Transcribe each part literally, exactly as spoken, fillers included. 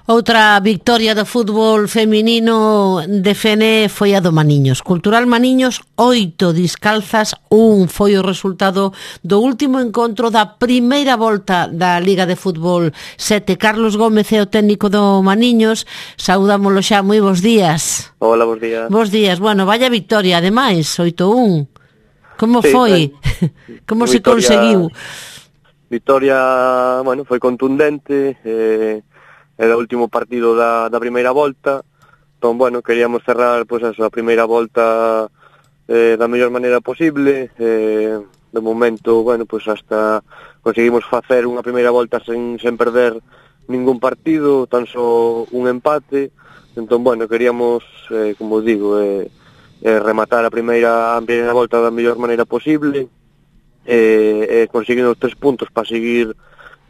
Outra victoria do fútbol feminino de Fene foi a do Maniños. Cultural Maniños, oito Discalzas, un foi o resultado do último encontro da primeira volta da Liga de Fútbol sete. Carlos Gómez é o técnico do Maniños. Saudámolo xa, moi bons días. Hola, bons días. Bons días. Bueno, vaya victoria, ademais, oito un. Como sí, foi? Eh, Como se victoria, conseguiu? Victoria, bueno, foi contundente, eh, era o último partido da, da primeira volta, entón, bueno, queríamos cerrar, pois, pues, a primeira volta eh, da mellor maneira posible, eh, de momento, bueno, pois, pues, hasta conseguimos facer unha primeira volta sen, sen perder ningún partido, tan só un empate, entón, bueno, queríamos, eh, como digo, eh, eh, rematar a primeira, a primeira volta da mellor maneira posible, e eh, eh, conseguindo os tres puntos para seguir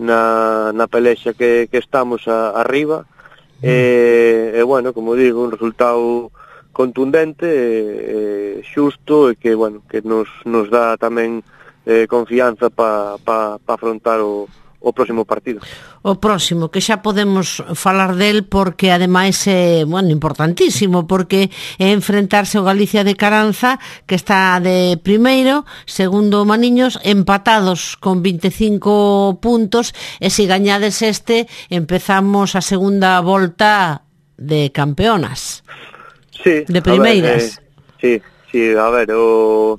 na, na pelexa que, que estamos a, arriba e, e bueno, como digo, un resultado contundente e, e xusto e que, bueno, que nos, nos dá tamén eh, confianza para pa, pa afrontar o, o próximo partido. O próximo, que xa podemos falar del porque ademais é, bueno, importantísimo, porque é enfrentarse ao Galicia de Caranza, que está de primeiro, segundo Maniños, empatados con vinte e cinco puntos, e se gañades este, empezamos a segunda volta de campeonas. Sí, de primeiras. A ver, eh, sí, sí, a ver, o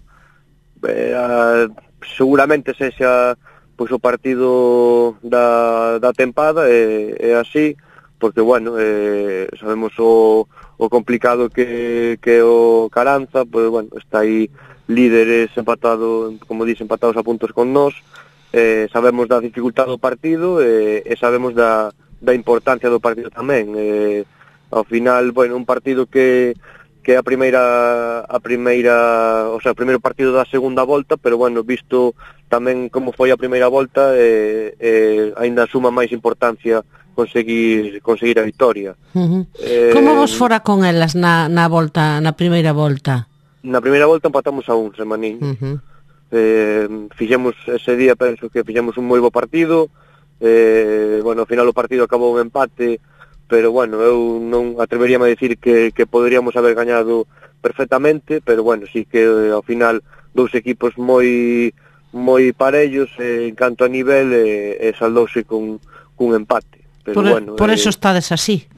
eh, a, seguramente sexa pois o partido da, da tempada é, é así, porque, bueno, eh, sabemos o, o complicado que, que o Caranza, pois, bueno, está aí líderes empatado, como dice, empatados a puntos con nós, eh, sabemos da dificultade do partido eh, e sabemos da, da importancia do partido tamén. Eh, ao final, bueno, un partido que que a primeira a primeira, o sea, o primeiro partido da segunda volta, pero bueno, visto tamén como foi a primeira volta, eh, eh, aínda suma máis importancia conseguir conseguir a victoria. Uh-huh. Eh, Como vos fora con elas na, na volta, na primeira volta? Na primeira volta empatamos a un, Semanín. Uh-huh. Eh, fixemos ese día, penso que fixemos un moi bo partido, eh, bueno, ao final o partido acabou un empate, pero bueno, eu non atreveríame a decir que, que poderíamos haber gañado perfectamente, pero bueno, sí que eh, ao final dous equipos moi moi parellos eh, en canto a nivel e eh, eh, saldouse con cun empate. Pero por, bueno, por eh, eso estades así.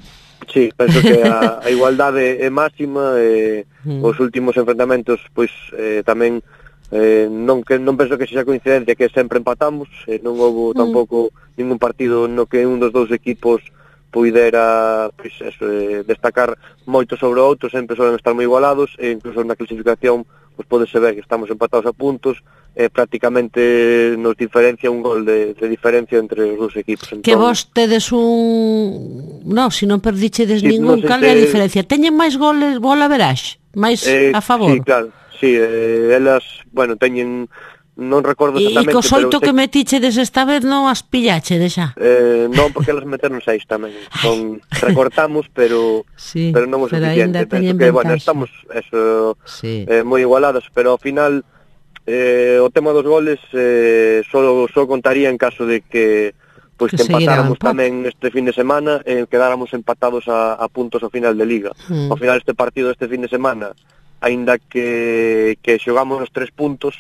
Sí, penso que a, a igualdade é máxima e eh, mm. os últimos enfrentamentos pois eh, tamén eh, non que non penso que sexa coincidencia que sempre empatamos, eh, non houve mm. tampouco ningún partido no que un dos dous equipos puidera pois, eso, eh, destacar moito sobre o outro, sempre solen estar moi igualados e incluso na clasificación pois pode ser ver que estamos empatados a puntos e eh, prácticamente nos diferencia un gol de, de diferencia entre os dous equipos. Entón, que vos tedes un... No, se non perdichedes sí, ningún, no cal te... é a diferencia? Teñen máis goles, gol a verás? Máis eh, a favor? Sí, claro, sí, eh, elas, bueno, teñen non recordo exactamente, e cos oito pero que metichedes esta vez non as pillachedes xa? Eh, non, porque elas meteron seis tamén. Son, recortamos, pero sí, pero non o suficiente. Penso que, bueno, estamos eso, sí. eh, moi igualadas, pero ao final eh, o tema dos goles eh, só, só contaría en caso de que pois que, que empatáramos tamén este fin de semana e eh, quedáramos empatados a, a puntos ao final de Liga. Mm. Ao final este partido este fin de semana, aínda que, que xogamos os tres puntos,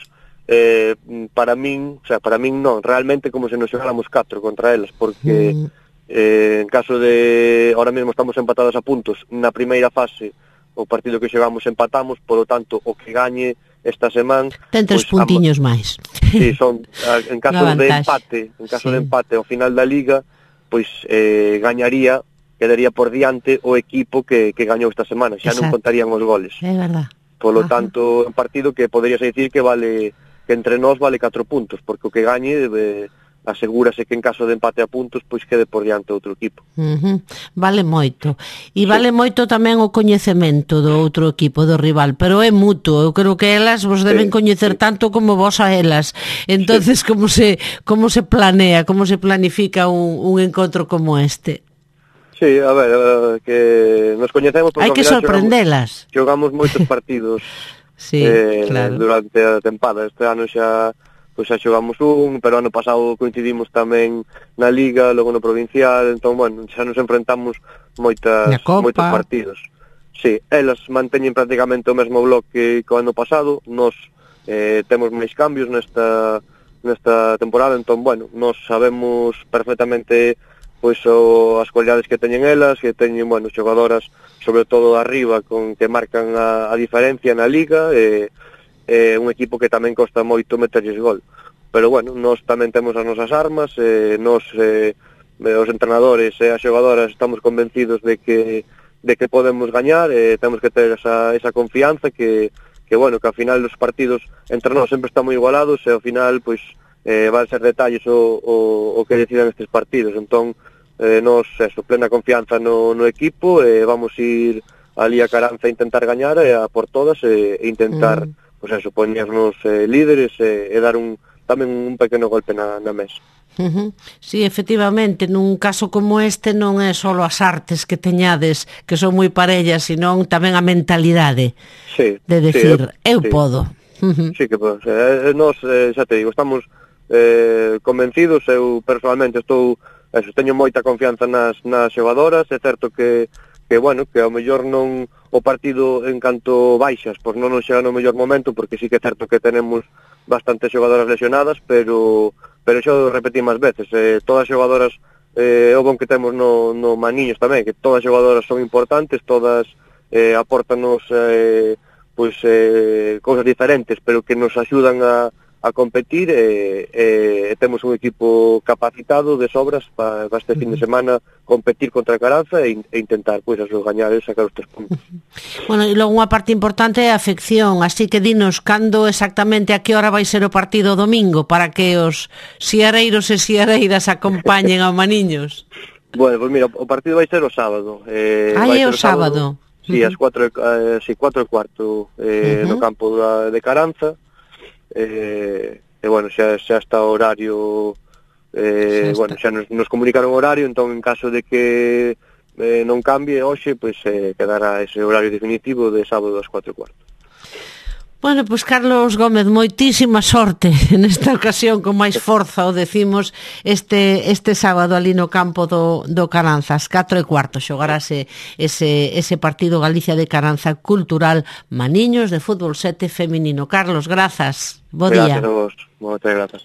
Eh, para min, o sea, para min non, realmente como se nos xogáramos catro contra elas, porque mm. eh, en caso de, ahora mesmo estamos empatados a puntos, na primeira fase o partido que xogamos empatamos, polo tanto, o que gañe esta semana ten tres pues, puntiños máis. Sí, son, en caso de empate, en caso sí. de empate ao final da Liga, pois eh, gañaría, quedaría por diante o equipo que, que gañou esta semana, xa Exacto. non contarían os goles. É verdad. Polo Ajá. tanto, un partido que poderías decir que vale que entre nós vale catro puntos, porque o que gañe eh, asegúrase que en caso de empate a puntos pois quede por diante outro equipo. Uh-huh. Vale moito. E vale sí. moito tamén o coñecemento do outro equipo, do rival, pero é mutuo. Eu creo que elas vos deben sí, coñecer sí. tanto como vos a elas. Entonces, sí. como se como se planea, como se planifica un, un encontro como este? Sí, a ver, uh, que nos coñecemos porque hai que sorprendelas. Xogamos, xogamos moitos partidos. Sí, eh, claro. Durante a tempada, este ano xa pois xa xogamos un, pero ano pasado coincidimos tamén na Liga, logo no Provincial, entón, bueno, xa nos enfrentamos moitas, moitos partidos. Sí, elas manteñen prácticamente o mesmo bloque que o ano pasado, nos eh, temos máis cambios nesta, nesta temporada, entón, bueno, nos sabemos perfectamente pois o, as cualidades que teñen elas, que teñen, bueno, xogadoras, sobre todo arriba, con que marcan a, a diferencia na Liga, e eh, un equipo que tamén costa moito meterlles gol. Pero, bueno, nós tamén temos as nosas armas, eh, nos, eh, os entrenadores e as xogadoras estamos convencidos de que de que podemos gañar, eh, temos que ter esa, esa confianza que, que, bueno, que ao final os partidos entre nós sempre están moi igualados e ao final, pois, eh, van ser detalles o, o, o que decidan estes partidos. Entón, eh, nos, eso, plena confianza no, no equipo, e eh, vamos ir ali a Caranza a intentar gañar e a por todas e, e intentar, mm. pois eso, poñernos eh, líderes e, e dar un tamén un pequeno golpe na, na mesa. Uh-huh. Sí, efectivamente, nun caso como este non é só as artes que teñades, que son moi parellas, senón tamén a mentalidade, sí, de decir, sí, eu sí. podo. Uh-huh. Sí, que podo. Eh, nos, eh, xa te digo, estamos eh, convencidos, eu personalmente estou, eso, teño moita confianza nas, nas xogadoras, é certo que, que, bueno, que ao mellor non o partido en canto baixas, pois non nos chega no mellor momento, porque sí que é certo que tenemos bastantes xogadoras lesionadas, pero pero xo repetí máis veces, eh, todas as xogadoras, eh, o bon que temos no, no Maniños tamén, que todas as xogadoras son importantes, todas eh, aportanos eh, pois, eh, cousas diferentes, pero que nos axudan a, a competir, e eh, eh, temos un equipo capacitado de sobras para pa este fin de semana competir contra a Caranza e, e intentar, pois, eso, gañar e sacar os tres puntos. Bueno, e logo unha parte importante é a afección, así que dinos cando exactamente, a que hora vai ser o partido domingo para que os xiareiros e xiareiras acompañen ao Maniños. Bueno, pois mira, o partido vai ser o sábado. Eh, Ai, vai é o sábado. sábado. Sí, ás cuatro, eh, sí, cuatro e cuarto eh, uh-huh. no campo da, de Caranza. Eh, e bueno, xa, xa está o horario, eh, xa bueno, xa nos, nos comunicaron o horario, entón en caso de que eh, non cambie hoxe, pois eh, quedará ese horario definitivo de sábado ás cuatro e cuarto. Bueno, pois Carlos Gómez, moitísima sorte nesta ocasión, con máis forza o decimos, este este sábado ali no campo do, do Caranza, ás catro e cuarto xogarase ese, ese partido Galicia de Caranza Cultural Maniños de fútbol sete feminino. Carlos, grazas, bo día. Gracias a vos, moitas grazas.